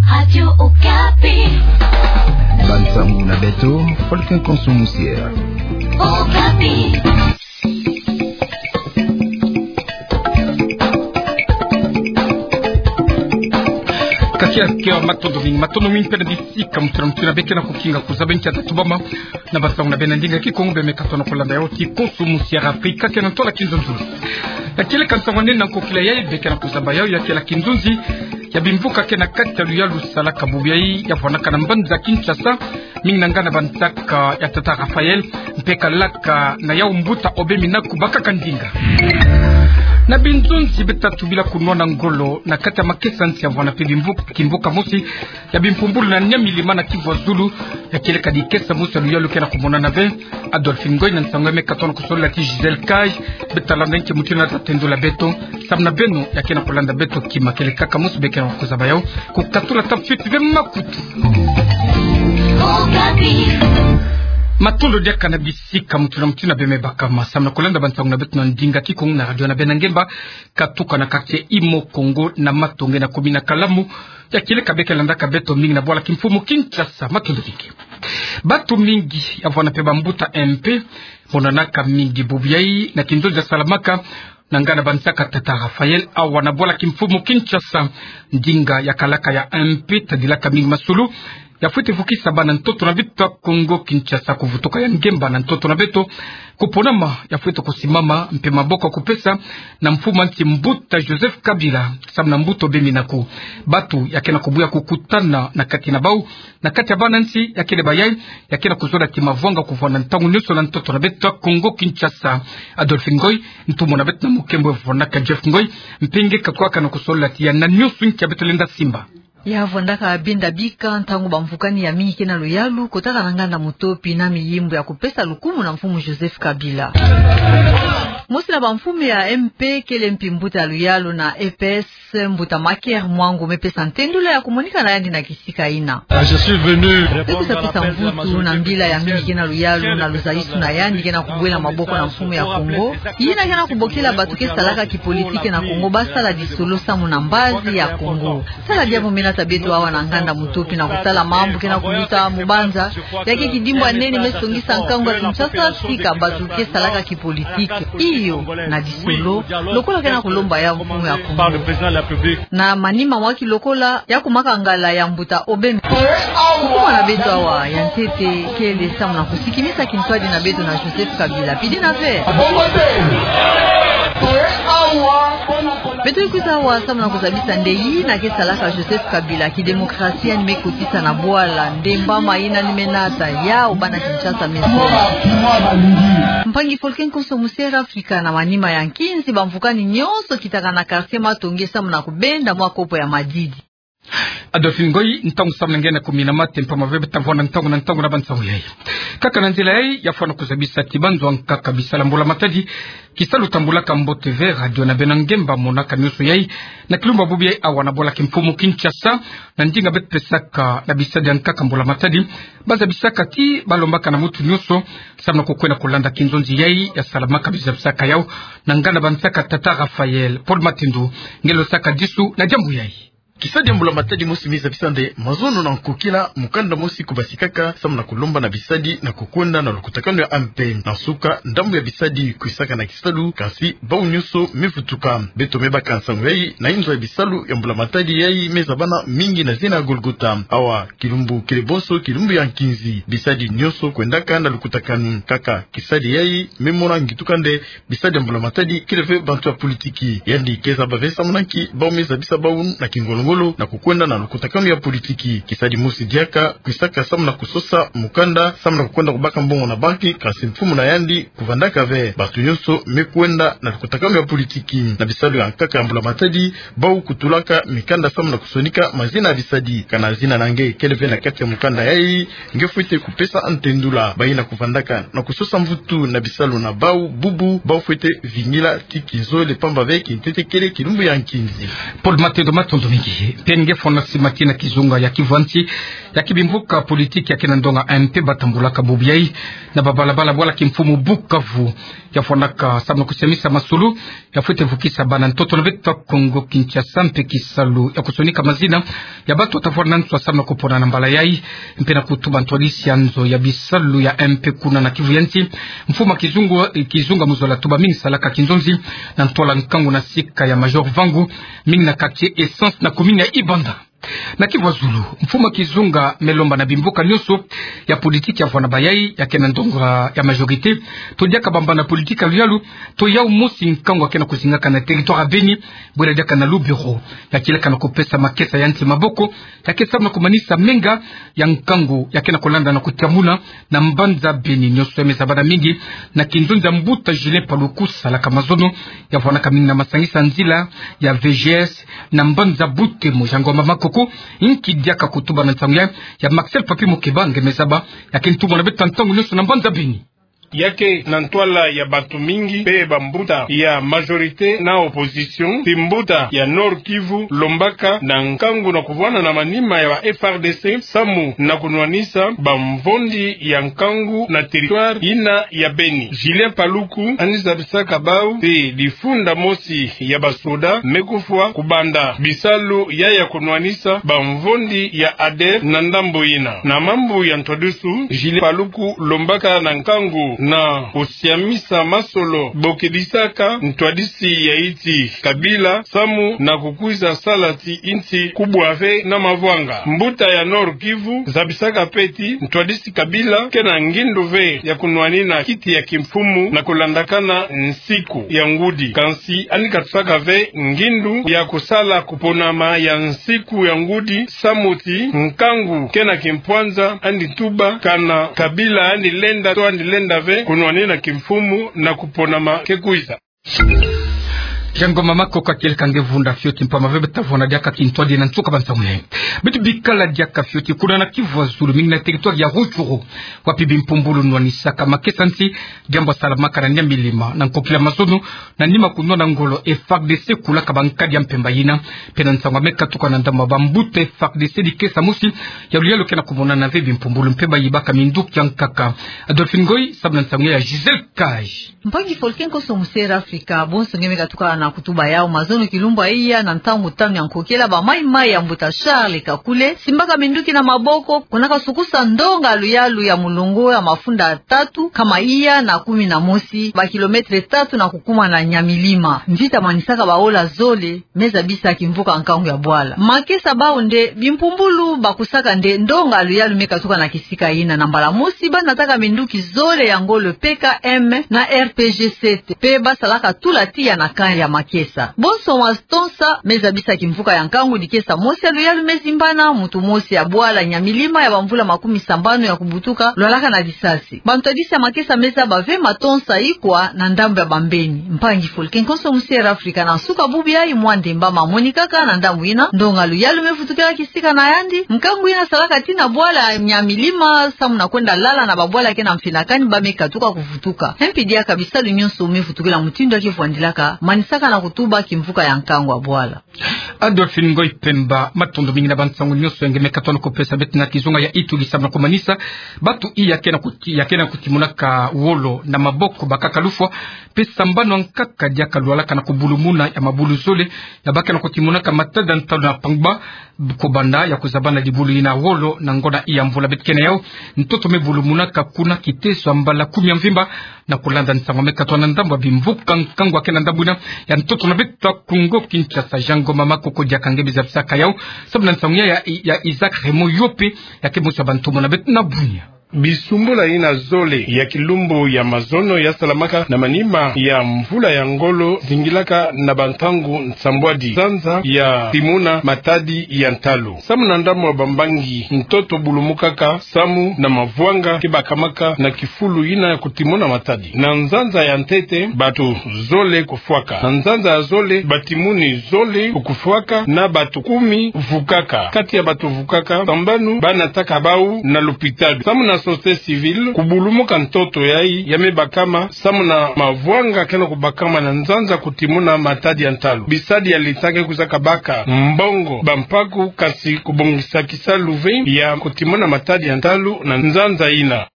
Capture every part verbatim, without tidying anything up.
Radio Okapi. Bansango na beto, Folkin Konso Musiera. Okapi. Kakia, kia, matondo mingi, matondo mingi mpe na bisika mutu na mutu na be ke na kukinga kuzaba nkia tatubama na bansango na beno na ndinga Kikongo. Be me katono kolanda yau ti Konso Musiera Afrika ke na ntola kinzonzi. Ya kieleka nsango nene na nkokila yai be ke na kuzaba yau, ya kieleka kinzonzi ya bimvuka ke na kati ya luyalu salaka bubu yai ya vwanaka na mbanza Kinshasa, mingi na ngana bansaka ya tata Raphaël, mpe kalaka na yau mbuta Aubin Minaku, bakaka ndinga. Na binzonzi beto tatu bila kunwana ngolo na kati ya makesa nsi ya vwana mpe bimvuka, kimvuka mosi ya bimpumbulu na nia milima na Kivu ya Zulu, ya kieleka dikesa mosi ya luyalu ke na kumonana ve. Adolphe Ngoy na nsango ya me katono kusolola ti Gisèle Cage. Beto talanda nki mutindu na tatendula beto, samu na beno ya ke na kulanda beto kima, kieleka kaka mosi be ke na kuzaba yau, kukatula ta fuite ve makutu. Matondo diaka na bisika mutu na mutu na be me baka ma samu na kulanda bansango na beto na ndinga Kikongo na radio na beno na ngemba, katuka na quartier Imo Kongo na Matonge na commune na Kalamu, ya kieleka be ke landaka beto mingi na bwala kimfumu Kinshasa. Matondo mingi. Bantu mingi ya vwana mpe bambuta M P, monanaka mingi bubu yai na kinzonzi ya salamaka na ngana bansaka tata Raphaël awa na bwala kimfumu Kinshasa. Ndinga ya kalaka ya M P tadilaka mingi masolo ya fwete vukisa bana ntoto na beto ya Kongo Kinshasa kuvutuka ya ngemba na ntoto na beto, kuponama ya fwete kusimama mpe maboko ya kupesa na mfumu a nsi mbuta Joseph Kabila, samu na mbuta Aubin Minaku. Bantu ya ke na kubuya kukutana na kati na bau, na kati ya bana nsi ya kele bayai, ya ke na kuzola ti mavwanga kuvwanda ntangu nionso na ntoto na beto ya Kongo Kinshasa. Adolphe Ngoy, ntumwa na beto na mukembo ya vwanaka Jeff Ngoy, mpe nge kakwaka na kusolola ti ya na nionso nkia beto lenda simba. Ya vwandaka binda bika ntangu bamvukani ya mingi ke na luyalu kotaka na nganda Mutopi na miyimbu ya kupesa lukumu na mfumu Joseph Kabila. Mosi na bamfumu ya M P kele mpi mbuta ya luyalu na E P S, mbuta Maker Mwangu, me pesa ntendula ya kumonika na yandi na kisika ina. Ah, je suis venu répondre à l'appel de la majorité. Be kusa pesa mvutu na mbila ya mingi ke na luyalu na luzalisu na yandi ke na kubwela maboko na mfumu ya Kongo, yina ke na kubokila bantu ke salaka kipolitike na Kongo basala disolo samu na mbazi ya Kongo. Sala diambu me nata beto awa na nganda Mutopi na kutala mambu ke na kuluta mu banza, ya ke kidimbu ya nene me songisa nkangu ya Kinshasa, tika bantu ke salaka kipolitike. Iyo, na disolo, lokola ke na kulomba ya mfumu ya Kongo. Par le président de la République. Na manima mwa kilokola ya kumakangala ya mbuta Aubin. Ntumwa na beto awa ya ntete kele samu na kusikimisa kintwadi na beto na Joseph Kabila. Pidi na ve. Beto kwiza awa samu na kuzabisa nde yina ke salaka Joseph Kabila, kidemokrasia ni me kotisa na bwala, nde mbama yina ni me nata, yau bana Kinshasa me sala. Mpangi Folkin Konso Musiera Afrika, na manima ya nkinzi bamvukani nionso kitaka na quartier Matonge samu na kubenda mwa kopo ya madidi. Adolphe Ngoy, ntangu samu na nge na kumina mate mpamba ve beto ta vwanda ntangu na ntangu na bansangu yai. Kaka na nzila yai ya fwana kuzabisa ti banzo ankaka bisalu ya mbula matadi, kisalu tambulaka mbote ve radio na beno na ngemba monaka nionso yai na kilumbu ya bubu yai awa na bwala kimfumu Kinshasa, na ndinga beto pesaka na bisadi ankaka mbula matadi, bazabisaka ti balombaka na muntu nionso samu na kukwenda kulanda kinzonzi yai ya salamaka, bizabisaka yau na nganda bansaka tata Raphaël. Paul Matindu, nge losaka disu na diambu yai. Kisadi ya mbula matadi mosi me zabisa nde mazono na nkokila mukanda mosi kubasikaka samu na kulomba na bisadi na kukwenda na lukutakanu ya M P. Na nsuka, ndambu ya bisadi kwisaka na kisalu, kansi bau nionso me vutuka. Beto me baka nsangu yai na inzo ya bisalu ya mbula matadi yai me zabana mingi na zina ya Golgotha. Awa, kilumbu kele bonso kilumbu ya nkinzi, bisadi nionso kwendaka na lukutakanu. Kaka kisadi yai me mona ngituka nde bisadi ya mbula matadi kele ve bantu ya politiki. Yandi ke zaba ve samu na nki bau me zabisa bau na kingolo-ngolo na kukwenda na lukutakanu ya politiki. Kisadi mosi diaka kwisaka samu na kusosa mukanda samu na kukwenda kubaka mbongo na banki, kansi mfumu na yandi kuvandaka ve. Bantu nionso me kwenda na lukutakanu ya politiki. Na bisalu ya nkaka ya mbula matadi, bau kutulaka mikanda samu na kusonika mazina ya bisadi. Kana zina na nge kele ve na kati ya mukanda yai, nge fwete kupesa ntendula. Bayina kuvandaka na kusosa mvutu na bisalu na bau bubu, bau fwete vingila ti kinzole mpamba ve kintete kele kilumbu ya nkinzi. Paul Matindu, matondo mingi. Mpe nge fwana simaki na kizunga ya Kivu ya nsi, ya kibimvuka politiki ya kena ndonga M P batambulaka bubu yayi na babalabala bwala kimfumu Bukavu. Ya fwanaka samu na kusiamisa masolo ya fwete vukisa bana ntoto na beto ya Kongo Kinshasa, mpe kisalu ya kusonika mazina ya bato watavwanda nswa samu na kupona na mbala yayi, mpe na kutuba ntwadisi ya nzo ya bisalu ya M P kuna na Kivu ya nsi. Mfumu kizunga, kizunga mu zola tuba mingi salaka kinzonzi na ntwala nkangu na sika ya Major Vangu, mingi na quartier Essence na commune ya Ibanda. Na Kivu ya zulu, mfumu kizunga me lomba na bimvuka nyonso ya politiki ya vwanda bayayi ya kena ndonga ya majorité, to diaka bambana politiki ya luyalu, to yau mosi nkangu ya kena kuzingaka na territoire ya Beni, bwela diaka na lu bureau ya kilaka na kupesa makesa ya nsi maboko, ya ke samu na kumanisa menga ya nkangu ya kena kulanda na kutiamuna na mbanza Beni. Nyonso ya me zabana mingi na kinzonzi ya mbuta Julien Paluku, salaka mazono ya vwanaka mingi na masangisa nzila ya V G S na mbanza Butembo. Jean Ngoma Makoko, inki diaka kutuba na nsangu ya, ya Maxel Papi Mukeba, nge me zaba ya ke ntumwa na beto ntangu nyonso na mbanza Beni. Ya ke na ntwala ya bato mingi mpe bambuta ya majorité na opposition, ti mbuta ya Nord-Kivu lombaka na nkangu na kuvwanda na manima ya ba F R D C samu na kunwanisa bamvondi ya nkangu na territoire yina ya Beni. Julien Paluku yandi zabisaka bau ti difunda mosi ya basoda me kufwa kubanda bisalu ya ya kunwanisa bamvondi ya ADER na ndambu yina. Na mambu ya ntwadisi, Julien Paluku lombaka na nkangu na kusiamisa masolo bokedisaka ntwadisi ya insi Kabila samu na kukwiza sala ti insi kubwa ve na mavwanga. Mbuta ya Nord-Kivu zabisaka mpe ti ntwadisi Kabila kena ngindu ve ya kunwanina kiti ya kimfumu na kulandakana nsiku ya ngudi. Kansi yandi katusaka ve ngindu ya kusala kuponama ya nsiku ya ngudi samu ti nkangu kena kimpwanza, yandi tuba kana Kabila yandi lenda to yandi lenda ve kunwanina kimfumu na kuponama ke kwiza. Jean Ngoma Makoko, kieleka nge vunda fioti mpamba ve beta vwanda diaka kintwadi na nsuka ba nsangu yayi. Beto bikala diaka fioti kuna na Kivu ya zulu, mingi na territoire ya Rutshuru, wapi bimpumbulu nwanisaka makesa nsi, diambu ya salamaka na Nyamilima, na nkokila mazono, na nima kunwana ngolo F R D C kulaka bankadi ya mpemba yina. Mpe na nsangu ya me katuka na ndambu ya bambuta F R D C, dikesa mosi ya luyalu kena kumonana ve, bimpumbulu mpe bayibaka minduki ya nkaka. Adolphine Ngoy samu na nsangu ya Gisèle Kaj. Mpangi Faustin Konso Musera Afrika, bonso nge me katuka na kutuba yau mazono kilumbu ya iya na ntangu tanu ya nkokila, ba mayi-mayi ya mbuta Charles Kakule simbaka minduki na maboko, kuna kasukusa ndonga luyalu ya mulongo ya mafunda tatu, nkama iya na kumi na mosi, ba kilomètre tatu na kukuma na Nyamilima. Mvita manisaka baola zole, me zabisa kimvuka nkangu ya bwala. Makesa bau nde bimpumbulu bakusaka nde ndonga luyalu me katuka na kisika yina. Na mbala mosi banataka minduki zole ya ngolo P K M na R P G sept, mpe basalaka tula tiya na camp ya makesa. Bonso matonsa me zabisa kimvuka ya nkangu, dikesa mosi ya luyalu me zimbana, muntu mosi ya bwala Nyamilima ya bamvula makumi sambanu ya kubutuka, lwalaka na disasi. Bantwadisi ya makesa me zaba ve matonsa ikwa na ndambu ya bambeni. Mpangi Faustin Konso Musera Afrika, na nsuka bubu yayi, mwa ndemba mamonikaka na ndambu yina, ndonga luyalu me vutukila kisika na yandi. Nkangu yina salaka tii na bwala Nyamilima samu na kwenda lala na babwala kena mfinakani, ba me katuka kuvutuka. Mpe diaka bisalu nyonso me vutukila mutindu ya ke vwandilaka, manisaka na kutuba kimvuka ya nkangu ya bwala. Adolphine Ngoy Pemba, matondo mingi na bansangu nyonso ya nge me katuka na kupesa beto na kizunga ya Ituri samu na kumanisa bato iya kena kuti-, ya kena kutimonaka wolo na maboko bakaka lufwa, mpe sambanu ya nkaka diaka lwalaka na kubulumuna ya mabulu zole ya ba kena kutimonaka matadi ya ntalu na pangba, kubanda ya kuzabana dibulu yina wolo na ngonda iya mvula beto kena yau. Ntoto me bulumunaka kuna Kiteso ya mbala kumi ya mvimba, na kulanda nsangu me katuka na ndambu ya bimvuka nkangu ya kena ndambu yina ya ntoto na beto ya Kongo Kinshasa. Jean Ngoma Makoko, diaka nge me zabisaka yau samu na nsangu ya, ya, ya Isaac Raymond Yope, ya ke mosi ya bantomo na beto na Bunia. Bisumbula yina zole ya kilumbu ya mazono ya salamaka na manima ya mvula ya ngolo zingilaka na bantangu nsambwadi nzanza ya timuna matadi ya ntalu. Samu na ndambu ya bambangi, ntoto bulumukaka samu na mavwanga ke bakamaka na kifulu yina ya kutimuna matadi. Na nzanza ya ntete, bato zole kufwaka. Na nzanza ya zole, batimuni zole kufwaka na bato kumi vukaka. Kati ya bato vukaka, sambanu banataka bau na lopitalo. Samu na Société civile kubulumuka ntoto yayi ya me bakama samu na mavwanga ke na kubakama na nzanza kutimuna matadi ya ntalu. Bisadi ya l'État ke kwizaka baka mbongo bampaku, kasi kubongisa kisalu ve ya kutimuna matadi ya ntalu na nzanza yina.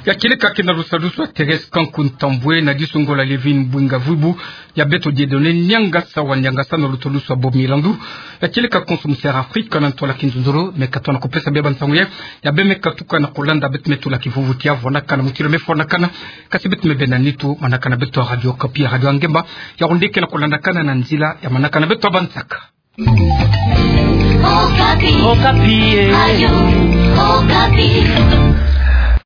Ya kieleka ke na lusalusu ya Thérèse Kanku Ntambwe na disungo la Lévine Bwinga Vuibu, ya beto Dieudonné Niangasa wa Niangasa na lutalusu ya Bob Milandu. Ya kieleka konso Mister Afrika na ntola kinzonzolo, me katona kupesa bie bansangu ye, ya bie me katuka na kulanda beto me tula kivuvu tia vwanakana mutilo me fwanakana, kasi beto me bena nitu manakana beto ya Radio Okapi, ya Radio ya Ngemba, ya onde ke na kulandakana na nzila ya manakana beto ya bansaka. Okapi. Okapi, eh. Radio Okapi.